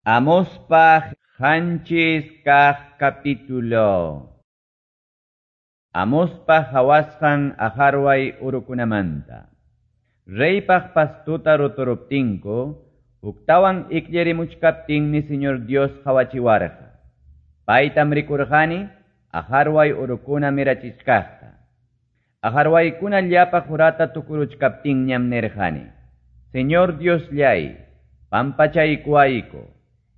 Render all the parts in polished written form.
Amospa 7 kaq capítulo. Amospa qawasqan aqarway urukunamanta. Reypaq pastuta ruturuptinku, huktawan ikllirimuchkaptinmi Señor Dios qawachiwarqa. Paytam rikurqani aqarway urukuna mirachichkaqta. Aqarwaykuna llapa qurata tukuruchkaptinñam nirqani: Señor Diosllay, pampachaykuwayku.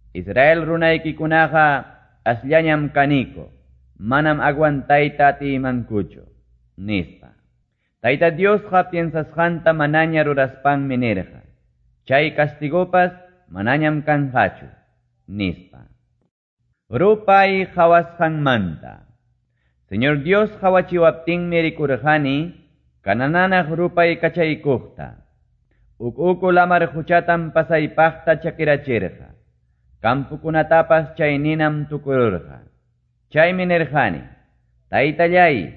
Israel runaykikunaqa asllañam kaniko, manam aguantayta atiymankuchu, nispa. Tayta Diosqa piensasqanta manaña ruraspanmi nirqa: Chay castigopas manañam kanqachu, nispa. Rupay qawasqanmanta. Señor Dios qawachiwaptinmi rikurqani kanananaq rupay kachaykuqta. Uk uku lamar quchatam pasaypaqta chakirachirqa. Kampukunatapas chay ninam tukururqa. Chaymi nirqani: Taytallay,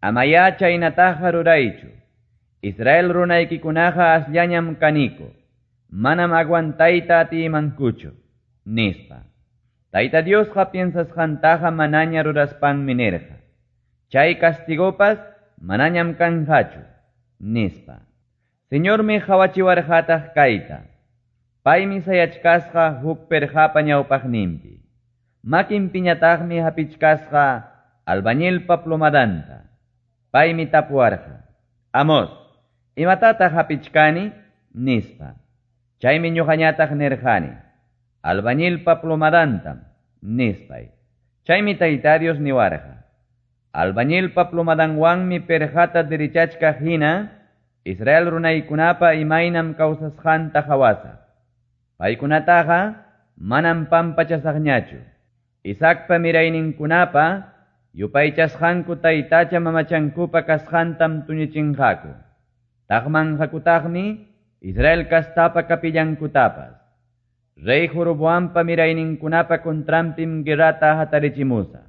amayá chaynataqa ruraychu. Israel runaykikunaqa asllañam kaniko, manam aguantayta atiymankuchu, nispa. Tayta Diosqa piensasqantaqa manaña ruraspanmi nirqa: Chay castigopas manañam kanqachu, nispa. Señormi qawachiwarqataq kayta. Paymi sayachkasqa huk perqapa ñawpaqninpi. Makinpiñataqmi hapichkasqa albañilpa plomadanta. Paymi tapuwarqa: Amos, imatataq hapichkani? Nispa. Chaymi ñuqañataq nirqani: Albañilpa plomadantam, nispay. Chaymi Tayta Dios niwarqa: Albañilpa plomadanwanmi perqata dirichachkaq hina Israel runaykunapa imaynam kawsasqanta qawasaq. Paykunataqa manam pampachasaqñachu. Isaacpa mirayninkunapa yupaychasqanku taytacha mamachankupa kasqantam tuñichinqaku. Taqmanqakutaqmi Israel kastapa kapillankutapas. Rey Jeroboampa mirayninkunapa contranpim guerrata hatarichimusaq.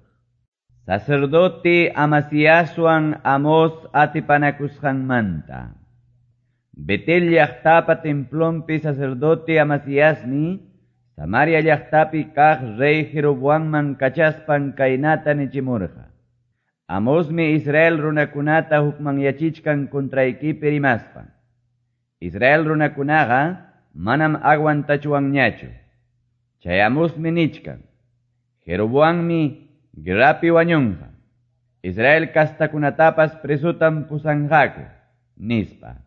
Sacerdote Amasiaswan Amos atipanakusqanmanta. Betel llaqtapa templonpi sacerdote Amasiasmi Samaria llaqtapi kaq rey Jeroboamman kachaspan kaynata nichimurqa: Amosmi Israel runakunata hukmanyachichkan contraykipi rimaspan. Israel runakunaqa manam aguantachuwanñachu. Chay Amosmi nichkan: Jeroboammi guerrapi wañunqa. Israel kastakunatapas presutam pusanqaku, nispa.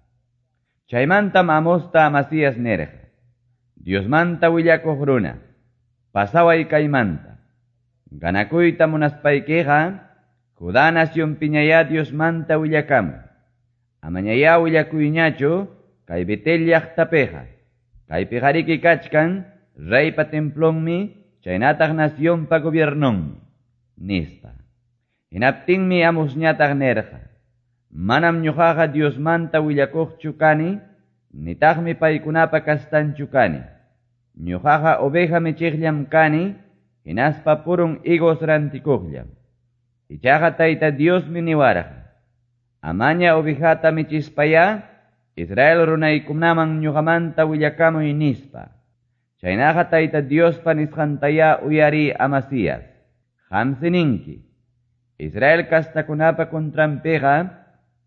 Chaymantam Amosta Amasías nirqa: Diosmanta willakuq runa, pasaway kaymanta. Ganakuyta munaspaykiqa, Judá nacionpiñayá Diosmanta willakamuy. Amañayá willakuyñachu kay Betel llaqtapiqa. Kaypiqariki kachkan reypa templonmi, chaynataq nacionpa gobiernonmi, nispa. Hinaptinmi Amosñataq nirqa: Manam ñuqaqa Diosmanta willakuqchu kani, nitaqmi paykunapa kastanchu kani. Ñuqaqa oveja michiqllam kani, hinaspa purun higos rantikuqllam. Ichaqa Tayta Diosmi niwarqa: Amaña ovejata michispayá, Israel runaykunaman ñuqamanta willakamuy, nispa. Chaynaqa Tayta Diospa nisqantayá uyariy, Amasías. Qamsi ninki: Israel kastakunapa contranpiqa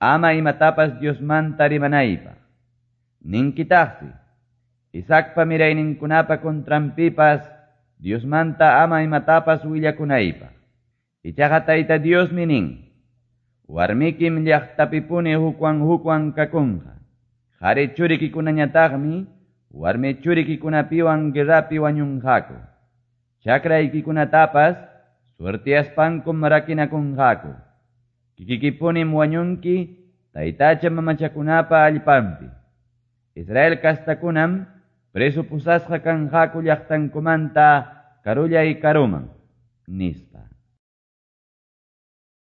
ama imatapas Diosmanta rimanaypaq. Ninkitaqsi: Isaacpa mirayninkunapa contranpipas Diosmanta ama imatapas willakunaypaq. Ichaqa Tayta Diosmi nin: Warmikim llaqtapipuni hukwan hukwan kakunqa. Qari churikikunañataqmi warmi churikikunapiwan guerrapi wañunqaku. Chakraykikunatapas suertiaspankum rakinakunqaku. Kikikipunim wañunki taytacha mamachakunapa allpanpi. Israel kastakunam preso pusasqa kanqaku llaqtankumanta karullay karuman, nispa.